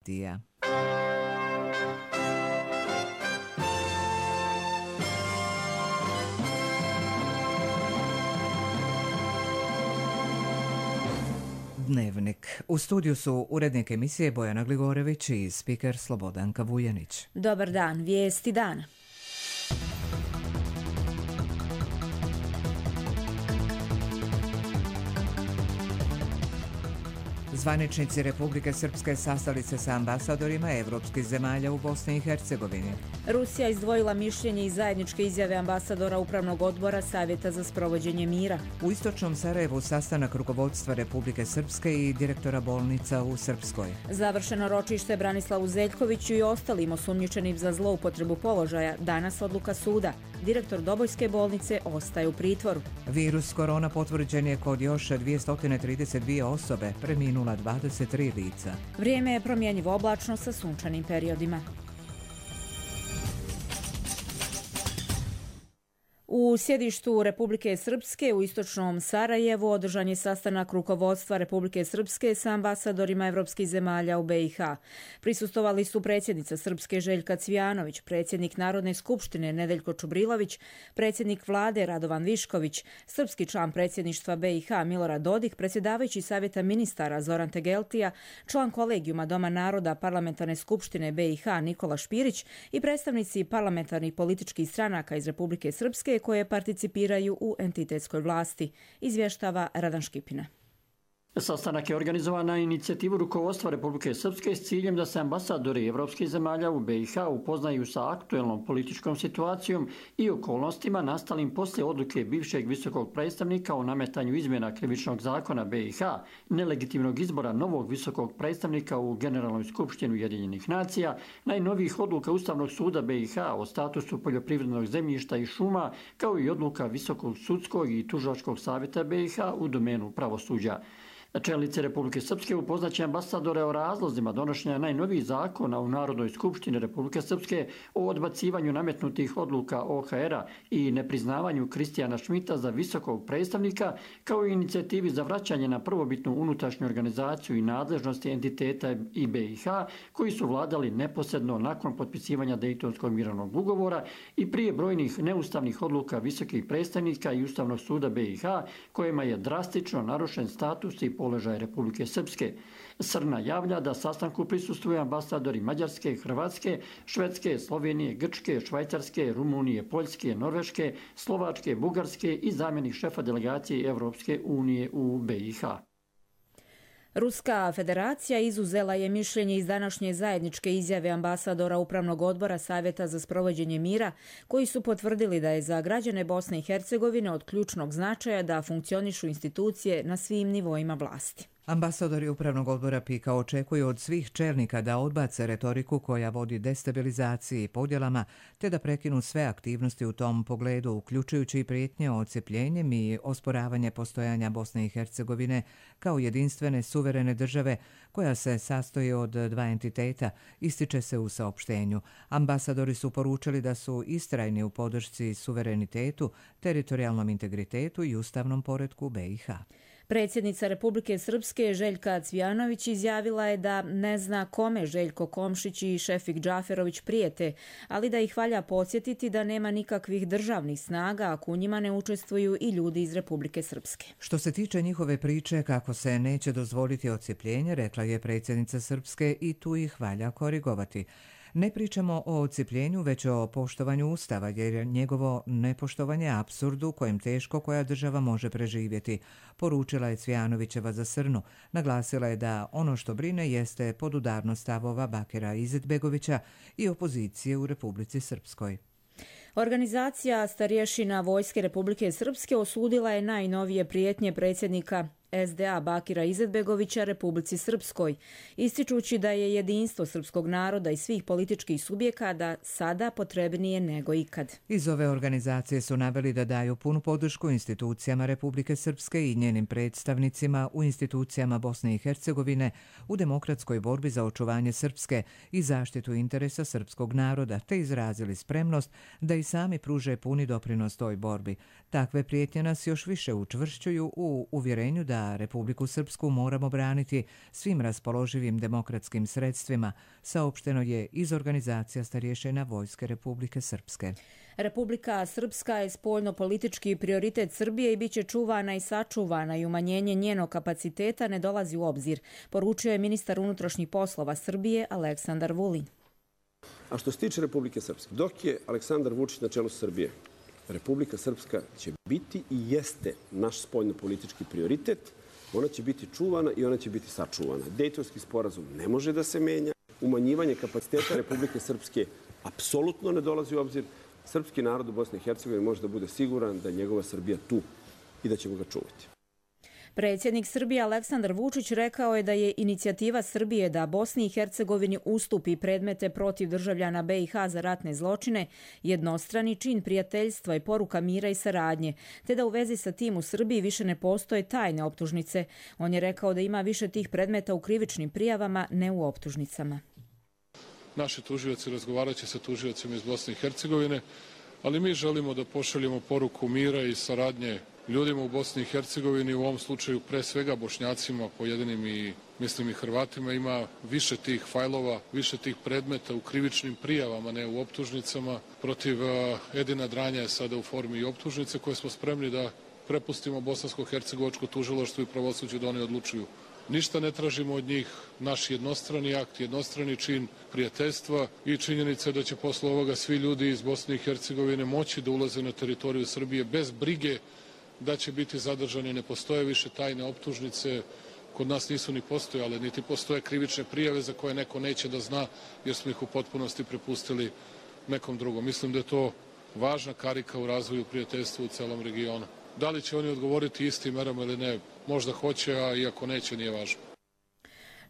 Dija. Dnevnik. U studiju su urednik emisije Bojana Gligorević i spiker Slobodanka Vujanić. Dobar dan, vijesti dana. Zvaničnici Republike Srpske sastali se sa ambasadorima evropskih zemalja u Bosni i Hercegovini. Rusija izdvojila mišljenje iz zajedničke izjave ambasadora Upravnog odbora Savjeta za sprovođenje mira. U istočnom Sarajevu sastanak rukovodstva Republike Srpske i direktora bolnica u Srpskoj. Završeno ročište Branislavu Zeljkoviću i ostalim osumnjičenim za zloupotrebu položaja. Danas odluka suda. Direktor Dobojske bolnice ostaje u pritvoru. Virus korona potvrđen je kod još 232 osobe, preminula 23 lica. Vrijeme je promjenjivo oblačno sa sunčanim periodima. U sjedištu Republike Srpske u istočnom Sarajevu održan je sastanak rukovodstva Republike Srpske sa ambasadorima evropskih zemalja u BiH. Prisustvovali su predsjednica Srpske Željka Cvijanović, predsjednik Narodne skupštine Nedeljko Čubrilović, predsjednik vlade Radovan Višković, srpski član predsjedništva BiH Milorad Dodik, predsjedavajući Savjeta ministara Zoran Tegeltija, član kolegijuma Doma naroda Parlamentarne skupštine BiH Nikola Špirić i predstavnici parlamentarnih političkih stranaka iz Republike Srpske koje participiraju u entitetskoj vlasti, izvještava Radan Škipina. Sastanak je organizovan na inicijativu rukovodstva Republike Srpske s ciljem da se ambasadori evropskih zemalja u BiH upoznaju sa aktuelnom političkom situacijom i okolnostima nastalim poslije odluke bivšeg visokog predstavnika o nametanju izmjena krivičnog zakona BiH, nelegitimnog izbora novog visokog predstavnika u Generalnoj skupštini Ujedinjenih nacija, najnovijih odluka Ustavnog suda BiH o statusu poljoprivrednog zemljišta i šuma, kao i odluka Visokog sudskog i tužilačkog savjeta BiH u domenu pravosuđa. Čelnici Republike Srpske upoznaće ambasadore o razlozima donošenja najnovijih zakona u Narodnoj skupštini Republike Srpske o odbacivanju nametnutih odluka OHR-a i nepriznavanju Kristijana Šmita za visokog predstavnika, kao i inicijativi za vraćanje na prvobitnu unutrašnju organizaciju i nadležnosti entiteta i BiH, koji su vladali neposredno nakon potpisivanja Dejtonskog mirovnog ugovora i prije brojnih neustavnih odluka visokih predstavnika i Ustavnog suda BiH, kojima je drastično narušen status i položaj Republike Srpske. SRNA javlja da sastanku prisustvuju ambasadori Mađarske, Hrvatske, Švedske, Slovenije, Grčke, Švajcarske, Rumunije, Poljske, Norveške, Slovačke, Bugarske i zamjenik šefa delegacije Evropske unije u BiH. Ruska federacija izuzela je mišljenje iz današnje zajedničke izjave ambasadora Upravnog odbora Savjeta za sprovođenje mira, koji su potvrdili da je za građane Bosne i Hercegovine od ključnog značaja da funkcionišu institucije na svim nivoima vlasti. Ambasadori Upravnog odbora PIK-a očekuju od svih čelnika da odbace retoriku koja vodi destabilizaciji i podjelama, te da prekinu sve aktivnosti u tom pogledu, uključujući i prijetnje odcepljenjem i osporavanje postojanja Bosne i Hercegovine kao jedinstvene suverene države koja se sastoji od dva entiteta, ističe se u saopštenju. Ambasadori su poručili da su istrajni u podršci suverenitetu, teritorijalnom integritetu i ustavnom poretku BiH. Predsjednica Republike Srpske Željka Cvijanović izjavila je da ne zna kome Željko Komšić i Šefik Džaferović prijete, ali da ih valja podsjetiti da nema nikakvih državnih snaga ako u njima ne učestvuju i ljudi iz Republike Srpske. Što se tiče njihove priče kako se neće dozvoliti odcepljenje, rekla je predsjednica Srpske, i tu ih valja korigovati. Ne pričamo o odcepljenju, već o poštovanju Ustava, jer je njegovo nepoštovanje apsurd u kojem teško koja država može preživjeti, poručila je Cvijanovićeva za SRNU. Naglasila je da ono što brine jeste podudarnost stavova Bakira Izetbegovića i opozicije u Republici Srpskoj. Organizacija starješina Vojske Republike Srpske osudila je najnovije prijetnje predsjednika SDA Bakira Izetbegovića Republici Srpskoj, ističući da je jedinstvo srpskog naroda i svih političkih subjekata sada potrebnije nego ikad. Iz ove organizacije su naveli da daju punu podršku institucijama Republike Srpske i njenim predstavnicima u institucijama Bosne i Hercegovine u demokratskoj borbi za očuvanje Srpske i zaštitu interesa srpskog naroda, te izrazili spremnost da i sami pruže puni doprinos toj borbi. Takve prijetnje nas još više učvršćuju u uvjerenju da da Republiku Srpsku moramo braniti svim raspoloživim demokratskim sredstvima, saopšteno je iz organizacija starješina Vojske Republike Srpske. Republika Srpska je spoljno-politički prioritet Srbije i bit će čuvana i sačuvana i umanjenje njenog kapaciteta ne dolazi u obzir, poručio je ministar unutrašnjih poslova Srbije Aleksandar Vulin. A što se tiče Republike Srpske, dok je Aleksandar Vučić na čelu Srbije, Republika Srpska će biti i jeste naš spoljno-politički prioritet. Ona će biti čuvana i ona će biti sačuvana. Dejtonski sporazum ne može da se menja. Umanjivanje kapaciteta Republike Srpske apsolutno ne dolazi u obzir. Srpski narod u Bosni i Hercegovini može da bude siguran da je njegova Srbija tu i da ćemo ga čuvati. Predsjednik Srbije Aleksandar Vučić rekao je da je inicijativa Srbije da Bosni i Hercegovini ustupi predmete protiv državljana BiH za ratne zločine jednostrani čin prijateljstva i poruka mira i saradnje, te da u vezi sa tim u Srbiji više ne postoje tajne optužnice. On je rekao da ima više tih predmeta u krivičnim prijavama, ne u optužnicama. Naši tužioci razgovarat će sa tužiocima iz Bosne i Hercegovine, ali mi želimo da pošaljemo poruku mira i saradnje ljudima u Bosni i Hercegovini, u ovom slučaju pre svega Bošnjacima, pojedinim i mislim i Hrvatima. Ima više tih fajlova, više tih predmeta u krivičnim prijavama, ne u optužnicama. Protiv Edina Dranja je sada u formi i optužnice koje smo spremni da prepustimo bosansko-hercegovačko tužilaštvo i pravosuđe da oni odlučuju. Ništa ne tražimo od njih, naš jednostrani akt, jednostrani čin prijateljstva i činjenica da će posle ovoga svi ljudi iz Bosne i Hercegovine moći da ulaze na teritoriju Srbije bez brige da će biti zadržani. Ne postoje više tajne optužnice, kod nas nisu ni postojale, niti postoje krivične prijave za koje neko neće da zna jer smo ih u potpunosti prepustili nekom drugom. Mislim da je to važna karika u razvoju prijateljstva u celom regionu. Da li će oni odgovoriti istim merama ili ne, možda hoće, a iako neće, nije važno.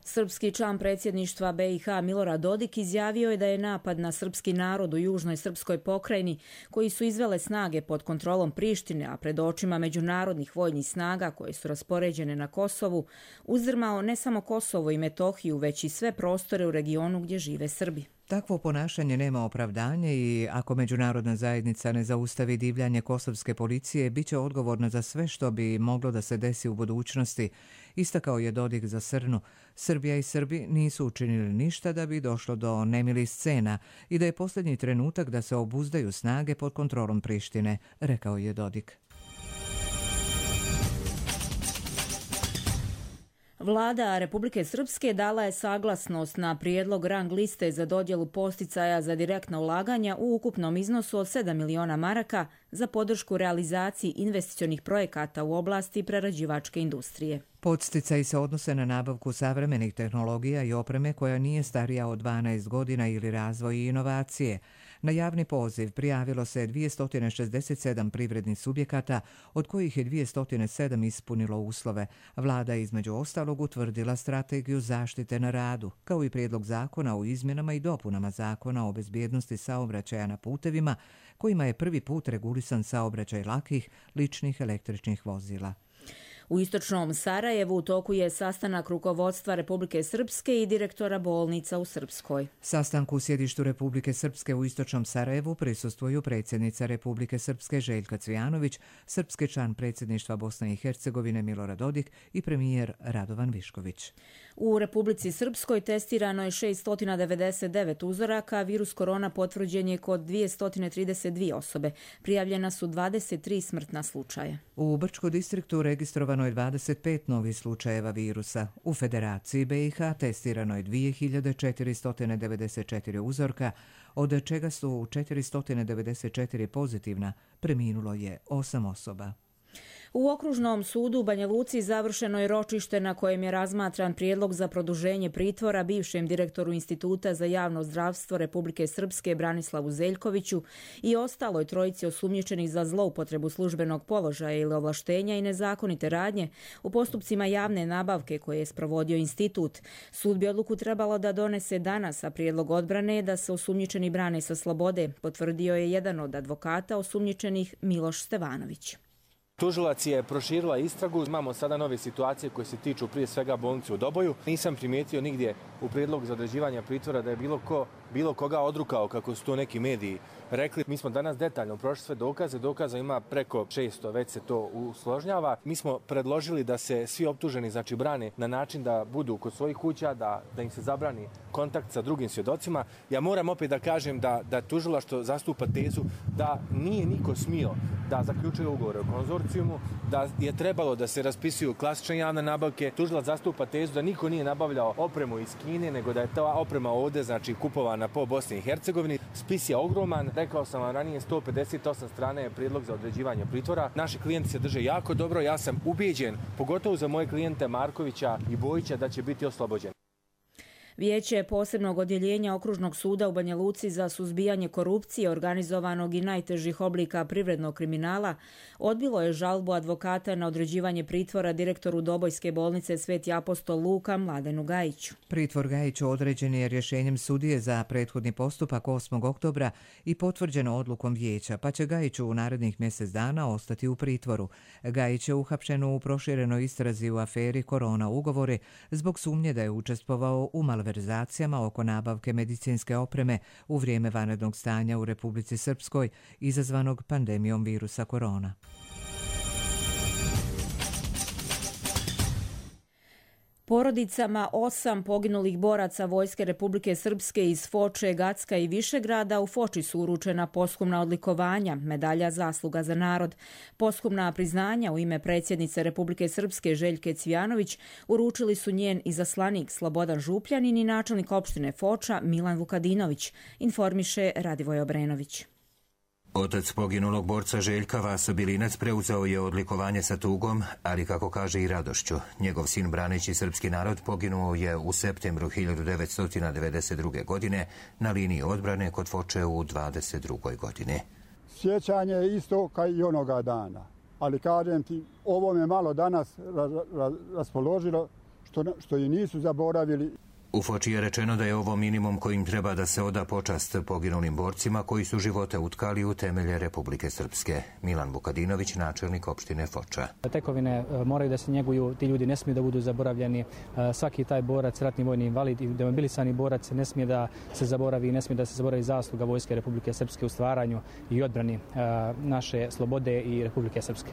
Srpski član predsjedništva BiH Milorad Dodik izjavio je da je napad na srpski narod u južnoj srpskoj pokrajini, koji su izvele snage pod kontrolom Prištine, a pred očima međunarodnih vojnih snaga koje su raspoređene na Kosovu, uzdrmao ne samo Kosovo i Metohiju, već i sve prostore u regionu gdje žive Srbi. Takvo ponašanje nema opravdanje i ako međunarodna zajednica ne zaustavi divljanje kosovske policije, bit će odgovorna za sve što bi moglo da se desi u budućnosti, istakao je Dodik za Srnu. Srbija i Srbi nisu učinili ništa da bi došlo do nemilih scena i da je posljednji trenutak da se obuzdaju snage pod kontrolom Prištine, rekao je Dodik. Vlada Republike Srpske dala je saglasnost na prijedlog rang liste za dodjelu posticaja za direktna ulaganja u ukupnom iznosu od 7 miliona maraka za podršku realizaciji investicionih projekata u oblasti prerađivačke industrije. Podsticaji se odnose na nabavku savremenih tehnologija i opreme koja nije starija od 12 godina ili razvoj i inovacije. Na javni poziv prijavilo se 267 privrednih subjekata, od kojih je 207 ispunilo uslove. Vlada je između ostalog utvrdila strategiju zaštite na radu, kao i prijedlog zakona o izmjenama i dopunama zakona o bezbjednosti saobraćaja na putevima, kojima je prvi put regulisan saobraćaj lakih, ličnih električnih vozila. U istočnom Sarajevu u toku je sastanak rukovodstva Republike Srpske i direktora bolnica u Srpskoj. Sastanku u sjedištu Republike Srpske u istočnom Sarajevu prisustvuju predsjednica Republike Srpske Željka Cvijanović, srpski član predsjedništva Bosne i Hercegovine Milorad Dodik i premijer Radovan Višković. U Republici Srpskoj testirano je 699 uzoraka, virus korona potvrđen je kod 232 osobe. Prijavljena su 23 smrtna slučaja. U Brčko distriktu registrovano je 25 novih slučajeva virusa. U Federaciji BiH testirano je 2494 uzorka, od čega su 494 pozitivna, preminulo je 8 osoba. U Okružnom sudu u Banja Luci završeno je ročište na kojem je razmatran prijedlog za produženje pritvora bivšem direktoru Instituta za javno zdravstvo Republike Srpske Branislavu Zeljkoviću i ostaloj trojici osumnjičenih za zloupotrebu službenog položaja ili ovlaštenja i nezakonite radnje u postupcima javne nabavke koje je sprovodio institut. Sud bi odluku trebalo da donese danas, a prijedlog odbrane je da se osumnjičeni brane sa slobode, potvrdio je jedan od advokata osumnjičenih Miloš Stevanović. Tužilac je proširila istragu. Imamo sada nove situacije koje se tiču prije svega bolnice u Doboju. Nisam primijetio nigdje u prijedlogu za određivanje pritvora da je bilo koga odrukao, kako su to neki mediji rekli. Mi smo danas detaljno prošli sve dokaze. Dokaza ima preko 600, već se to usložnjava. Mi smo predložili da se svi optuženi brane na način da budu kod svojih kuća, da im se zabrani kontakt sa drugim svjedocima. Ja moram opet da kažem da tužilaštvo zastupa tezu da nije niko smio da zaključuje ugovore o konzorcijumu, da je trebalo da se raspisuju klasične javne nabavke. Tužilac zastupa tezu da niko nije nabavljao opremu iz Kine, nego da je ta oprema ovdje kupovana po Bosni i Hercegovini. Spis je ogroman, rekao sam vam ranije, 158 strana je prijedlog za određivanje pritvora. Naši klijenti se drže jako dobro, ja sam ubijeđen, pogotovo za moje klijente Markovića i Bojića, da će biti oslobođen. Vijeće posebnog odjeljenja Okružnog suda u Banja Luci za suzbijanje korupcije, organizovanog i najtežih oblika privrednog kriminala odbilo je žalbu advokata na određivanje pritvora direktoru Dobojske bolnice Sveti apostol Luka Mladenu Gajiću. Pritvor Gajiću određen je rješenjem sudije za prethodni postupak 8. oktobra i potvrđeno odlukom vijeća, pa će Gajiću u narednih mjesec dana ostati u pritvoru. Gajić je uhapšen u proširenoj istrazi u aferi Korona ugovori zbog sumnje da je učestvovao u malverzacijama oko nabavke medicinske opreme u vrijeme vanrednog stanja u Republici Srpskoj izazvanog pandemijom virusa korona. Porodicama 8 poginulih boraca Vojske Republike Srpske iz Foče, Gacka i Višegrada u Foči su uručena posthumna odlikovanja, medalja Zasluga za narod. Posthumna priznanja u ime predsjednice Republike Srpske Željke Cvijanović uručili su njen izaslanik Slobodan Župljanin i načelnik opštine Foča Milan Vukadinović, informiše Radivoj Obrenović. Otac poginulog borca Željka Vaso Bilinac preuzeo je odlikovanje sa tugom, ali kako kaže i radošću. Njegov sin braneći srpski narod poginuo je u septembru 1992. godine na liniji odbrane kod Foče u 22. godini. Sjećanje je isto kao i onoga dana, ali kažem ti, ovo me malo danas raspoložilo što i nisu zaboravili. U Foči je rečeno da je ovo minimum kojim treba da se oda počast poginulim borcima koji su živote utkali u temelje Republike Srpske. Milan Vukadinović, načelnik opštine Foča. Tekovine moraju da se njeguju, ti ljudi ne smiju da budu zaboravljeni. Svaki taj borac, ratni vojni invalid i demobilisani borac ne smije da se zaboravi, ne smije da se zaboravi zasluga Vojske Republike Srpske u stvaranju i odbrani naše slobode i Republike Srpske.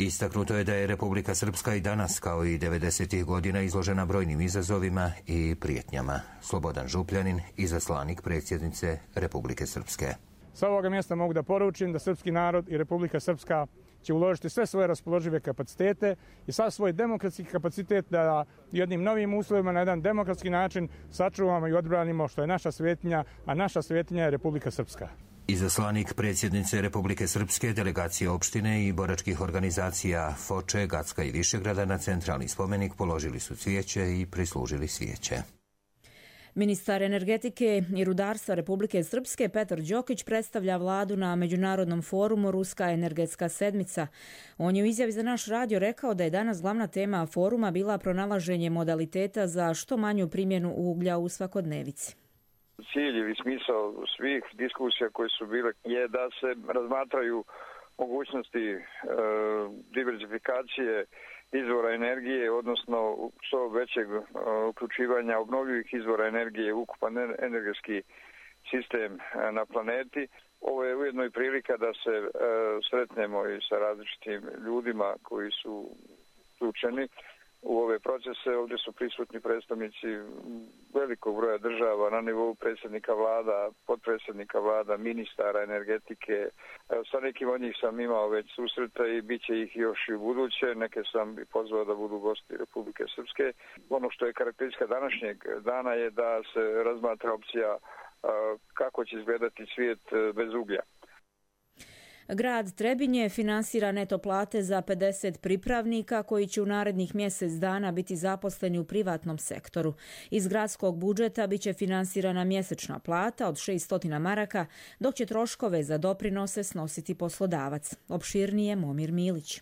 Istaknuto je da je Republika Srpska i danas, kao i 90. godina, izložena brojnim izazovima i prijetnjama. Slobodan Župljanin, izaslanik predsjednice Republike Srpske. Sa ovoga mjesta mogu da poručim da srpski narod i Republika Srpska će uložiti sve svoje raspoložive kapacitete i sav svoj demokratski kapacitet da jednim novim uslovima na jedan demokratski način sačuvamo i odbranimo što je naša svetinja, a naša svetinja je Republika Srpska. Izaslanik predsjednice Republike Srpske, delegacije opštine i boračkih organizacija Foče, Gacka i Višegrada na centralni spomenik položili su cvijeće i prislužili svijeće. Ministar energetike i rudarstva Republike Srpske Petar Đokić predstavlja vladu na međunarodnom forumu Ruska energetska sedmica. On je u izjavi za naš radio rekao da je danas glavna tema foruma bila pronalaženje modaliteta za što manju primjenu uglja u svakodnevici. Ciljevi i smisao svih diskusija koje su bile je da se razmatraju mogućnosti diversifikacije izvora energije, odnosno što većeg uključivanja obnovljivih izvora energije u ukupan energetski sistem na planeti. Ovo je ujedno i prilika da se sretnemo i sa različitim ljudima koji su uključeni u ove procese. Ovdje su prisutni predstavnici velikog broja država na nivou predsjednika vlada, potpredsjednika vlada, ministara energetike. Sa nekim od njih sam imao već susreta i bit će ih još i u buduće. Neke sam i pozvao da budu gosti Republike Srpske. Ono što je karakteristika današnjeg dana je da se razmatra opcija kako će izgledati svijet bez uglja. Grad Trebinje finansira neto plate za 50 pripravnika koji će u narednih mjesec dana biti zaposleni u privatnom sektoru. Iz gradskog budžeta biće finansirana mjesečna plata od 600 maraka, dok će troškove za doprinose snositi poslodavac. Opširnije Momir Milić.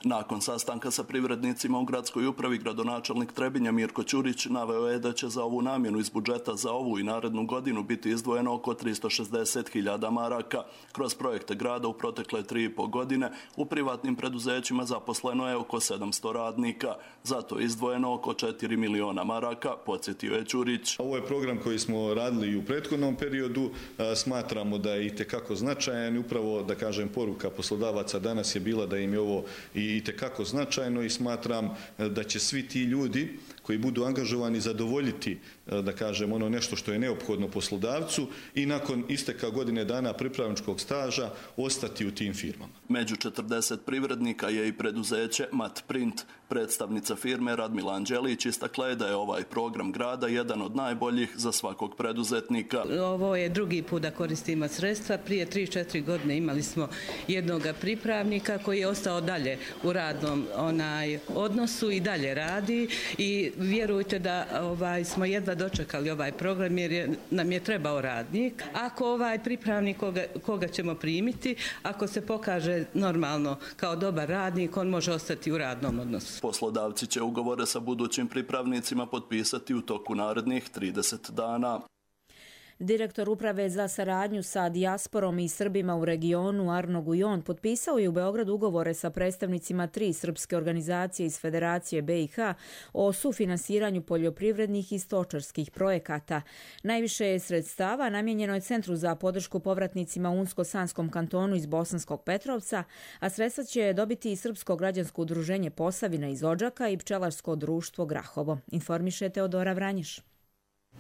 Nakon sastanka sa privrednicima u gradskoj upravi, gradonačelnik Trebinja Mirko Ćurić naveo je da će za ovu namjenu iz budžeta za ovu i narednu godinu biti izdvojeno oko 360.000 maraka. Kroz projekte grada u protekle 3,5 godine u privatnim preduzećima zaposleno je oko 700 radnika. Zato je izdvojeno oko 4 miliona maraka, podsjetio je Ćurić. Ovo je program koji smo radili i u prethodnom periodu. Smatramo da je itekako značajan i upravo, da kažem, poruka poslodavaca danas je bila da im je ovo itekako značajno i smatram da će svi ti ljudi koji budu angažovani zadovoljiti, da kažem, ono nešto što je neophodno poslodavcu i nakon isteka godine dana pripravničkog staža ostati u tim firmama. Među 40 privrednika je i preduzeće Mat Print. Predstavnica firme Radmila Anđelić istakla je da je ovaj program grada jedan od najboljih za svakog preduzetnika. Ovo je drugi put da koristimo sredstva. Prije 3-4 godine imali smo jednog pripravnika koji je ostao dalje u radnom odnosu i dalje radi i vjerujte da smo jedva dočekali ovaj program jer nam je trebao radnik. Ako ovaj pripravnik koga ćemo primiti, ako se pokaže normalno kao dobar radnik, on može ostati u radnom odnosu. Poslodavci će ugovore sa budućim pripravnicima potpisati u toku narednih 30 dana. Direktor Uprave za saradnju sa dijasporom i Srbima u regionu Arno Gujon potpisao je u Beogradu ugovore sa predstavnicima 3 srpske organizacije iz Federacije BiH o sufinansiranju poljoprivrednih i stočarskih projekata. Najviše sredstava namijenjeno je Centru za podršku povratnicima u Unsko-Sanskom kantonu iz Bosanskog Petrovca, a sredstva će dobiti i Srpsko građansko udruženje Posavina iz Odžaka i Pčelarsko društvo Grahovo. Informiše Teodora Vranješ.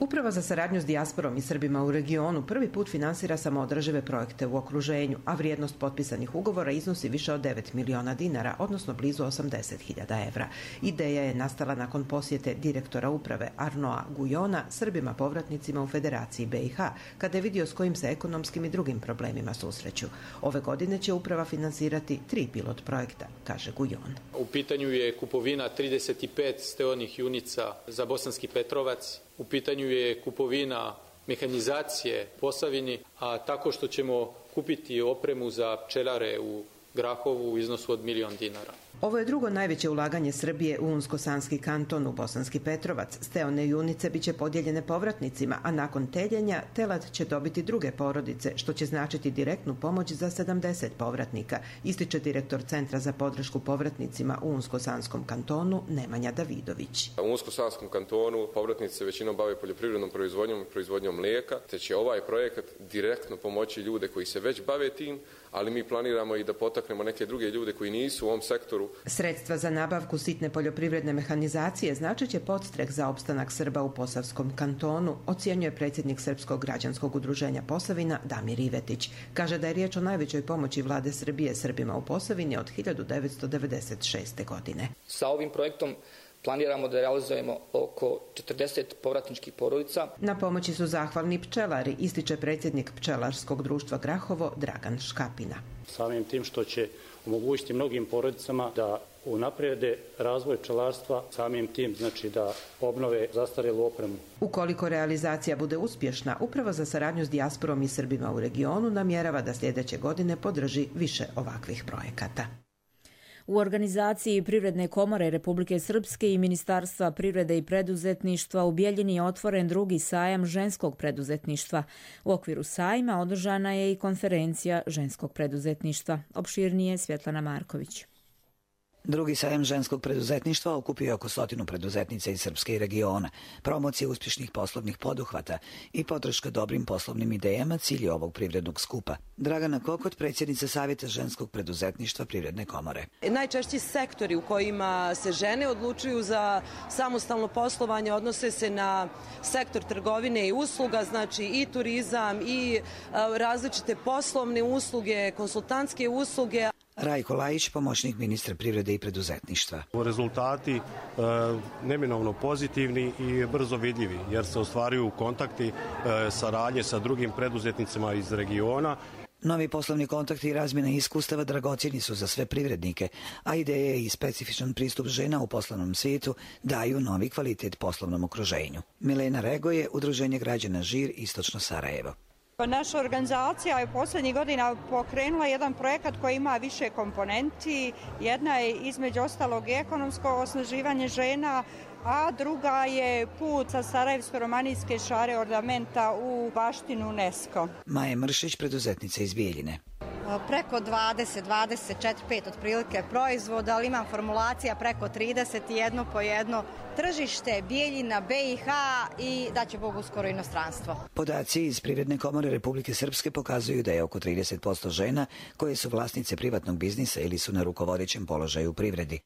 Uprava za saradnju s dijasporom i Srbima u regionu prvi put finansira samoodržive projekte u okruženju, a vrijednost potpisanih ugovora iznosi više od 9 miliona dinara, odnosno blizu 80.000 evra. Ideja je nastala nakon posjete direktora uprave Arnoa Gujona Srbima povratnicima u Federaciji BiH, kada je vidio s kojim se ekonomskim i drugim problemima susreću. Ove godine će uprava finansirati 3 pilot projekta, kaže Gujon. U pitanju je kupovina 35 steonih junica za Bosanski Petrovac. U pitanju je kupovina mehanizacije Posavini, a tako što ćemo kupiti opremu za pčelare u Grahovu u iznosu od 1 milion dinara. Ovo je drugo najveće ulaganje Srbije u Unsko-Sanski kanton u Bosanski Petrovac. Steone junice biće podijeljene povratnicima, a nakon teljenja telad će dobiti druge porodice, što će značiti direktnu pomoć za 70 povratnika, ističe direktor Centra za podršku povratnicima u Unsko-Sanskom kantonu Nemanja Davidović. U Unsko-Sanskom kantonu povratnici se većinom bave poljoprivrednom proizvodnjom i proizvodnjom mlijeka, te će ovaj projekat direktno pomoći ljude koji se već bave tim, ali mi planiramo i da potaknemo neke druge ljude koji nisu u ovom sektoru. Sredstva za nabavku sitne poljoprivredne mehanizacije značit će podstrek za opstanak Srba u Posavskom kantonu, ocjenjuje predsjednik Srpskog građanskog udruženja Posavina Damir Ivetić. Kaže da je riječ o najvećoj pomoći vlade Srbije Srbima u Posavini od 1996. godine. Sa ovim projektom planiramo da realizujemo oko 40 povratničkih porodica. Na pomoći su zahvalni pčelari, ističe predsjednik Pčelarskog društva Grahovo Dragan Škapina. Samim tim što će omogućiti mnogim porodicama da unaprijede razvoj pčelarstva, samim tim znači da obnove zastarjelu opremu. Ukoliko realizacija bude uspješna, Uprava za saradnju s dijasporom i Srbima u regionu namjerava da sljedeće godine podrži više ovakvih projekata. U organizaciji Privredne komore Republike Srpske i Ministarstva privrede i preduzetništva u Bijeljini je otvoren drugi sajam ženskog preduzetništva. U okviru sajma održana je i konferencija ženskog preduzetništva. Opširnije Svjetlana Marković. Drugi sajam ženskog preduzetništva okupio oko 100 preduzetnica iz Srpske i regiona. Promocija uspješnih poslovnih poduhvata i podrška dobrim poslovnim idejama cilj je ovog privrednog skupa. Dragana Kokot, predsjednica Savjeta ženskog preduzetništva Privredne komore. Najčešći sektori u kojima se žene odlučuju za samostalno poslovanje odnose se na sektor trgovine i usluga, znači i turizam i različite poslovne usluge, konsultantske usluge. Rajko Lajić, pomoćnik ministra privrede i preduzetništva. Rezultati neminovno pozitivni i brzo vidljivi, jer se ostvaruju kontakti saradnje sa drugim preduzetnicima iz regiona. Novi poslovni kontakti i razmjena iskustava dragocjeni su za sve privrednike, a ideje i specifičan pristup žena u poslovnom svijetu daju novi kvalitet poslovnom okruženju. Milena Rego je Udruženje građana Žir Istočno Sarajevo. Naša organizacija je posljednjih godina pokrenula jedan projekat koji ima više komponenti. Jedna je između ostalog ekonomsko osnaživanje žena, a druga je put sa Sarajevsko-romanijske šare ornamenta u baštinu UNESCO. Maja Mršić, preduzetnica iz Bijeljine. Preko 20, 24, 5 otprilike proizvoda, ali imam formulacija preko 31 po jedno. Tržište Bijeljina, BiH i daće Bog uskoro inostranstvo. Podaci iz Privredne komore Republike Srpske pokazuju da je oko 30% žena koje su vlasnice privatnog biznisa ili su na rukovodećem položaju u privredi.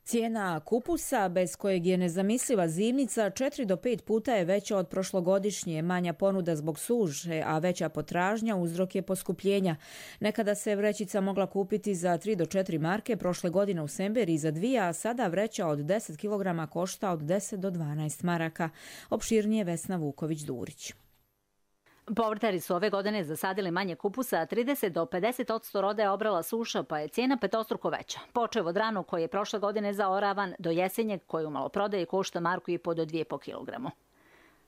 Cijena kupusa, bez kojeg je nezamisliva zimnica, 4 do 5 puta je veća od prošlogodišnje. Manja ponuda zbog suše, a veća potražnja uzrok je poskupljenja. Nekada se vrećica mogla kupiti za 3 do 4 marke, prošle godine u Semberiji za 2, a sada vreća od 10 kg košta od 10 do 12 maraka. Opširnije Vesna Vuković-Durić. Povrtari su ove godine zasadili manje kupusa, a 30 do 50% roda je obrala suša, pa je cijena petostruko veća. Počev od ranu koji je prošle godine zaoravan do jesenjeg koji u maloprodaji košta 1,5 do 2,5 kg.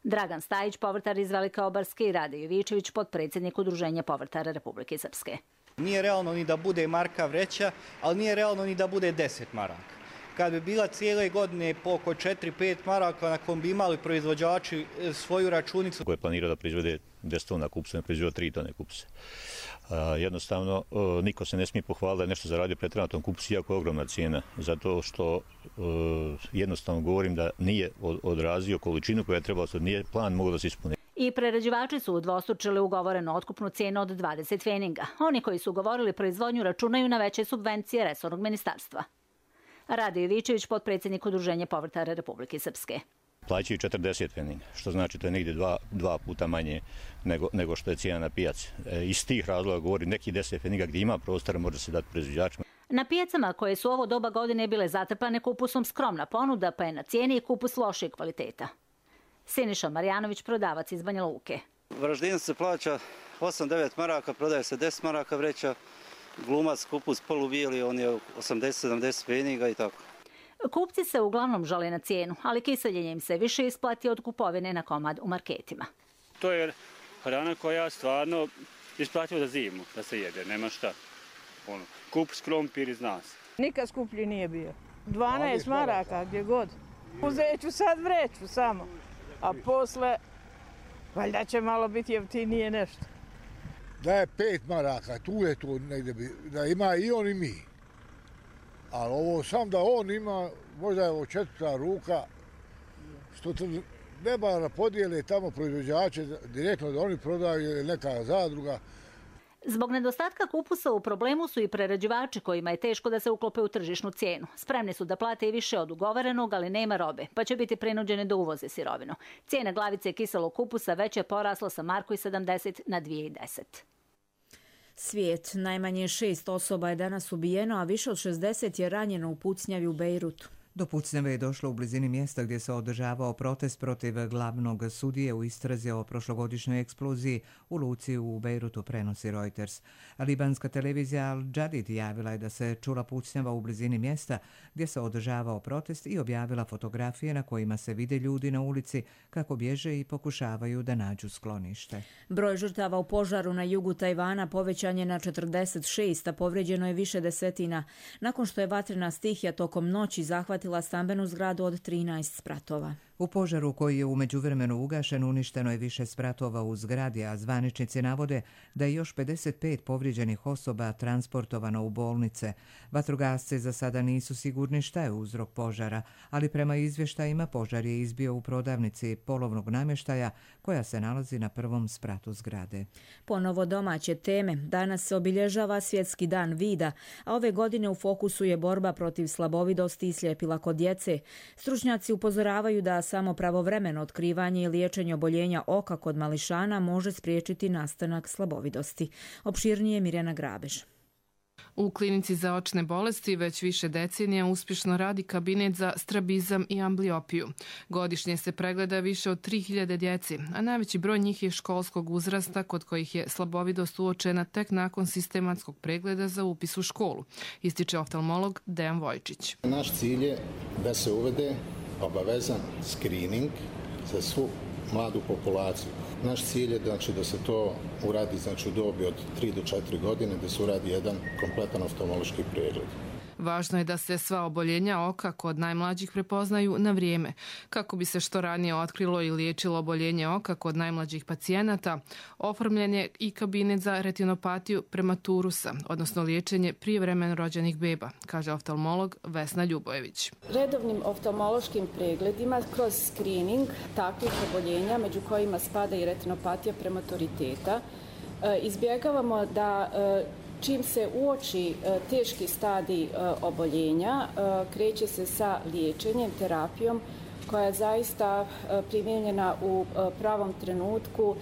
Dragan Stajić, povrtar iz Velike Obarske, i Rade Jovičević, potpredsjednik Udruženja povrtara Republike Srpske. Nije realno ni da bude marka vreća, ali nije realno ni da bude 10 maraka. Kad bi bila cijele godine po oko 4-5 maraka, na kom bi imali proizvođači svoju računicu. Ko je planirao da proizvede 10 tona kupusa, ne proizvode 3 tone kupusa. Jednostavno, niko se ne smije pohvaliti da je nešto zaradio pretjerano na tom kupusu, iako je ogromna cijena. Zato što jednostavno govorim da nije odrazio količinu koja je trebala, nije plan mogao da se ispuni. I prerađivači su udvostručili ugovorenu otkupnu cijenu od 20 pfeninga. Oni koji su ugovorili proizvodnju računaju na veće subvencije resornog ministarstva. Rade Jovičević, potpredsjednik Udruženja povrtara Republike Srpske. Plaćaju 40 pfeninga, što znači to je negdje dva puta manje nego što je cijena na pijaci. Iz tih razloga govori neki 10 pfeninga gdje ima prostora može se dati proizvođačima. Na pijacama koje su ovo doba godine bile zatrpane kupusom skromna ponuda, pa je na cijeni i kupus lošijeg kvaliteta. Siniša Marjanović, prodavac iz Banja Luke. Varaždinac se plaća 8-9 maraka, prodaje se 10 maraka vreća. Glumac, kupus polubijeli, on je 80-70 pfeninga i tako. Kupci se uglavnom žale na cijenu, ali kiseljenje im se više isplati od kupovine na komad u marketima. To je hrana koja stvarno isplativa za zimu, da se jede, nema šta. Kupus, krompir iz nas. Nikad skuplji nije bio. 12 maraka, gdje god. Uzet ću sad vreću samo, a posle valjda će malo biti jeftinije nešto. Da je 5 maraka, tu je to negdje, da ima i on i mi. Ali ovo sam da on ima, možda je ovo 4. ruka, što treba podijele tamo proizvođače direktno da oni prodaju ili neka zadruga. Zbog nedostatka kupusa u problemu su i prerađivači kojima je teško da se uklope u tržišnu cijenu. Spremni su da plate i više od ugovorenog, ali nema robe, pa će biti prinuđeni da uvoze sirovinu. Cijena glavice kiselog kupusa već je porasla sa 1,70 na 2,10. Svijet. Najmanje 6 osoba je danas ubijeno, a više od 60 je ranjeno u pucnjavi u Bejrutu. Do pucnjave je došlo u blizini mjesta gdje se održavao protest protiv glavnog sudije u istrazi o prošlogodišnjoj eksploziji u luci u Bejrutu, prenosi Reuters. Libanska televizija Al Jadid javila je da se čula pucnjava u blizini mjesta gdje se održavao protest i objavila fotografije na kojima se vide ljudi na ulici kako bježe i pokušavaju da nađu sklonište. Broj žrtava u požaru na jugu Tajvana povećan je na 46, a povrijeđeno je više desetina, nakon što je vatrena stihija tokom noći zahvatila stambenu zgradu od 13 spratova. U požaru koji je u međuvremenu ugašen uništeno je više spratova u zgradi, a zvaničnici navode da je još 55 povrijeđenih osoba transportovano u bolnice. Vatrogasci za sada nisu sigurni šta je uzrok požara, ali prema izvještajima požar je izbio u prodavnici polovnog namještaja koja se nalazi na prvom spratu zgrade. Ponovo domaće teme. Danas se obilježava Svjetski dan vida, a ove godine u fokusu je borba protiv slabovidosti i sljepila kod djece. Stručnjaci upozoravaju da samo pravovremeno otkrivanje i liječenje oboljenja oka kod mališana može spriječiti nastanak slabovidosti. Opširnije Mirjana Grabež. U klinici za očne bolesti već više decenija uspješno radi kabinet za strabizam i ambliopiju. Godišnje se pregleda više od 3000 djeci, a najveći broj njih je školskog uzrasta kod kojih je slabovidost uočena tek nakon sistematskog pregleda za upis u školu, ističe oftalmolog Dejan Vojčić. Naš cilj je da se uvede obavezan screening za svu mladu populaciju. Naš cilj je znači, da se to uradi znači, u dobi od 3 do 4 godine, da se uradi jedan kompletan oftalmološki pregled. Važno je da se sva oboljenja oka kod najmlađih prepoznaju na vrijeme. Kako bi se što ranije otkrilo i liječilo oboljenje oka kod najmlađih pacijenata, oformljen je i kabinet za retinopatiju prematurusa, odnosno liječenje prijevremeno rođenih beba, kaže oftalmolog Vesna Ljubojević. Redovnim oftalmološkim pregledima kroz screening takvih oboljenja, među kojima spada i retinopatija prematuriteta, izbjegavamo da čim se uoči teški stadij oboljenja, kreće se sa liječenjem, terapijom koja je zaista primijenjena u pravom trenutku,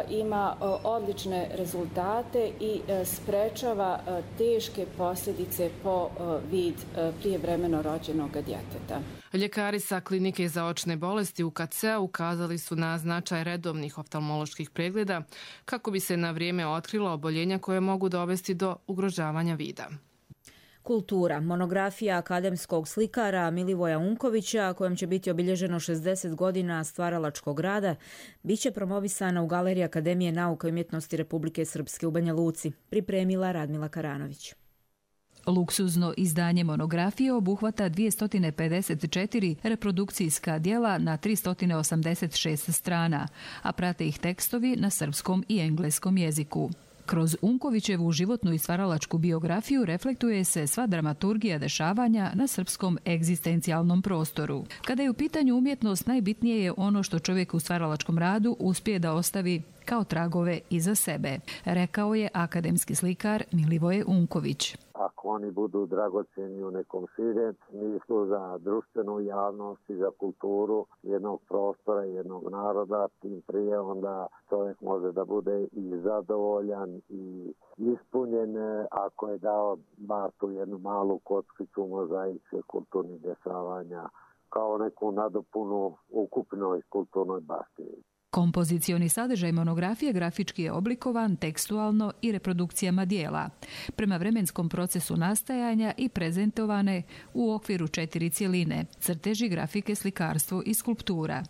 ima odlične rezultate i sprečava teške posljedice po vid prijevremeno rođenog djeteta. Ljekari sa klinike za očne bolesti UKC-a ukazali su na značaj redovnih oftalmoloških pregleda kako bi se na vrijeme otkrila oboljenja koje mogu dovesti do ugrožavanja vida. Kultura. Monografija akademskog slikara Milivoja Unkovića, kojom će biti obilježeno 60 godina stvaralačkog rada, bit će promovisana u Galeriji Akademije nauka i umjetnosti Republike Srpske u Banja Luci, pripremila Radmila Karanović. Luksuzno izdanje monografije obuhvata 254 reprodukcijska djela na 386 strana, a prate ih tekstovi na srpskom i engleskom jeziku. Kroz Unkovićevu životnu i stvaralačku biografiju reflektuje se sva dramaturgija dešavanja na srpskom egzistencijalnom prostoru. Kada je u pitanju umjetnost, najbitnije je ono što čovjek u stvaralačkom radu uspije da ostavi kao tragove iza sebe, rekao je akademski slikar Milivoje Unković. Ako oni budu dragocjeni u nekom širem smislu za društvenu javnost i za kulturu jednog prostora, jednog naroda, tim prije onda čovjek može da bude i zadovoljan i ispunjen ako je dao bar tu jednu malu kockicu mozaike kulturnih dešavanja kao neku nadopunu ukupnoj kulturnoj baštini. Kompozicioni sadržaj monografije grafički je oblikovan tekstualno i reprodukcijama dijela, prema vremenskom procesu nastajanja i prezentovane u okviru 4 cjeline: crteži, grafike, slikarstvo i skulptura.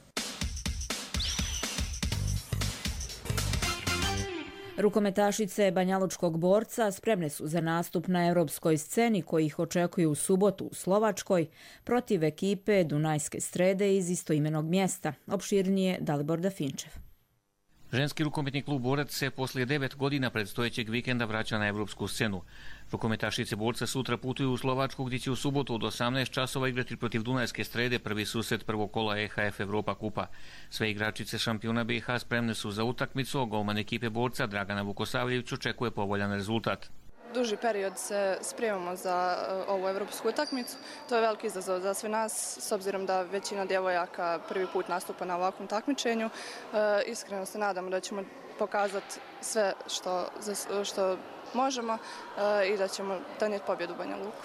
Rukometašice Banjalučkog borca spremne su za nastup na europskoj sceni koji ih očekuju u subotu u Slovačkoj protiv ekipe Dunajske Strede iz istoimenog mjesta. Opširnije Dalibor Dafinčev. Ženski rukometni klub Borac se poslije 9 godina predstojećeg vikenda vraća na evropsku scenu. Rukometašice Borca sutra putuju u Slovačku gdje će u subotu od 18 časova igrati protiv Dunajske Strede, prvi susret prvog kola EHF Evropa kupa. Sve igračice šampiona BiH spremne su za utakmicu, a golman ekipe Borca Dragana Vukosavljević očekuje povoljan rezultat. Duži period se spremamo za ovu evropsku utakmicu. To je veliki izazov za sve nas, s obzirom da većina djevojaka prvi put nastupa na ovakvom takmičenju. Iskreno se nadamo da ćemo pokazati sve što možemo i da ćemo donijeti pobjedu u Banja Luku.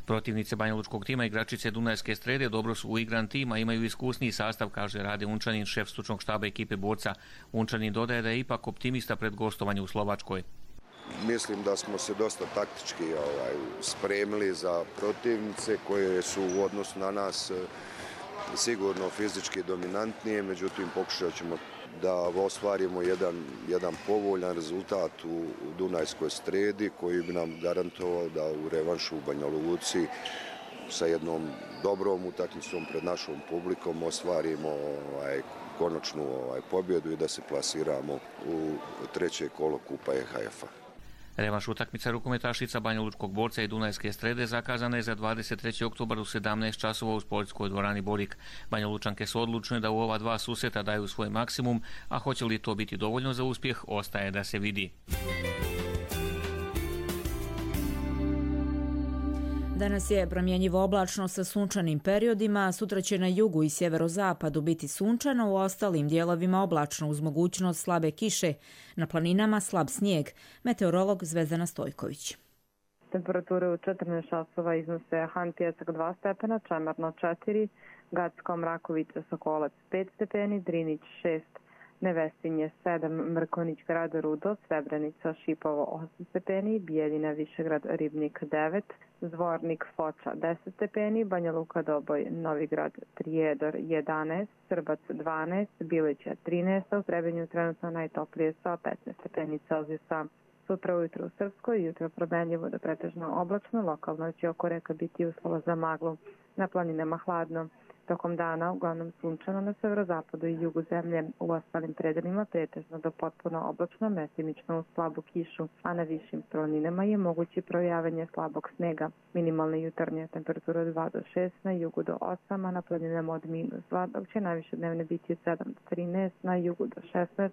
Protivnice banjalučkog tima, igračice Dunajske Strede, dobro su uigran tim, a imaju iskusniji sastav, kaže Rade Unčanin, šef stručnog štaba ekipe Borca. Unčanin dodaje da je ipak optimista pred gostovanje u Slovačkoj. Mislim da smo se dosta taktički spremili za protivnice koje su u odnosu na nas sigurno fizički dominantnije, međutim pokušat ćemo da ostvarimo jedan povoljan rezultat u Dunajskoj Stredi koji bi nam garantovao da u revanšu u Banja Luci sa jednom dobrom utakmicom pred našom publikom ostvarimo konačnu pobjedu i da se plasiramo u treće kolo kupa EHF-a. Revanš utakmica rukometašica Banjalučkog Borca i Dunajske Strede zakazana je za 23. oktobar u 17 časova u sportskoj dvorani Borik. Banjalučanke su odlučne da u ova dva susreta daju svoj maksimum, a hoće li to biti dovoljno za uspjeh, ostaje da se vidi. Danas je promjenjivo oblačno sa sunčanim periodima, sutra će na jugu i sjeverozapadu biti sunčano, u ostalim dijelovima oblačno uz mogućnost slabe kiše, na planinama slab snijeg. Meteorolog Zvezdana Stojković. Temperature u 14 časova iznose Han Pjesak 2 stepena, Čemerno 4, Gacko Mrakovica Sokolac 5 stepeni, Drinić 6, Nevesinje 7, Mrkonjić grad Rudo, Srebrenica Šipovo 8 stepeni, Bijeljina Višegrad Ribnik 9, Zvornik Foča 10 stepeni, Banja Luka Doboj Novigrad Prijedor 11, Srbac 12, Bilića 13, a u Trebinju trenutno najtoplije sa 15 stepeni Celzijusa. Sutra ujutro u Srpskoj, jutro promenljivo do pretežno oblačno, lokalno će oko reka biti uslova za maglu, na planinama hladno. Tokom dana uglavnom sunčano na severozapadu i jugu zemlje, u ostalim predelima pretežno do potpuno oblačno, mestimično uz slabu kišu, a na višim planinama je moguće projavanje slabog snega. Minimalne jutarnje temperature od 2 do 6, na jugu do 8, a na planinama od -2, dok će najviše dnevne biti od 7 do 13, na jugu do 16,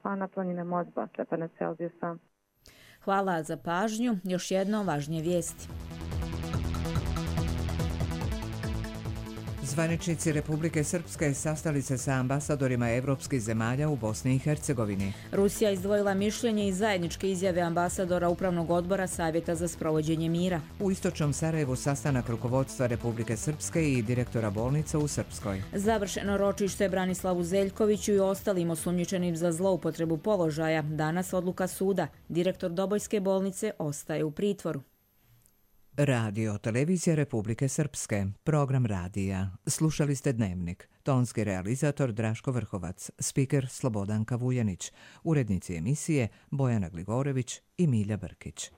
a na planinama od 2 stepena Celzijusa. Hvala za pažnju. Još jedno važnije vijesti. Zvaničnici Republike Srpske sastali se sa ambasadorima evropskih zemalja u Bosni i Hercegovini. Rusija izdvojila mišljenje i zajedničke izjave ambasadora Upravnog odbora Savjeta za sprovođenje mira. U istočnom Sarajevu sastanak rukovodstva Republike Srpske i direktora bolnica u Srpskoj. Završeno ročište Branislavu Zeljkoviću i ostalim osumnjičenim za zloupotrebu položaja. Danas odluka suda. Direktor Dobojske bolnice ostaje u pritvoru. Radio Televizija Republike Srpske, program radija. Slušali ste Dnevnik. Tonski realizator Draško Vrhovac, spiker Slobodanka Vujanić, urednici emisije Bojana Gligorević i Milja Brkić.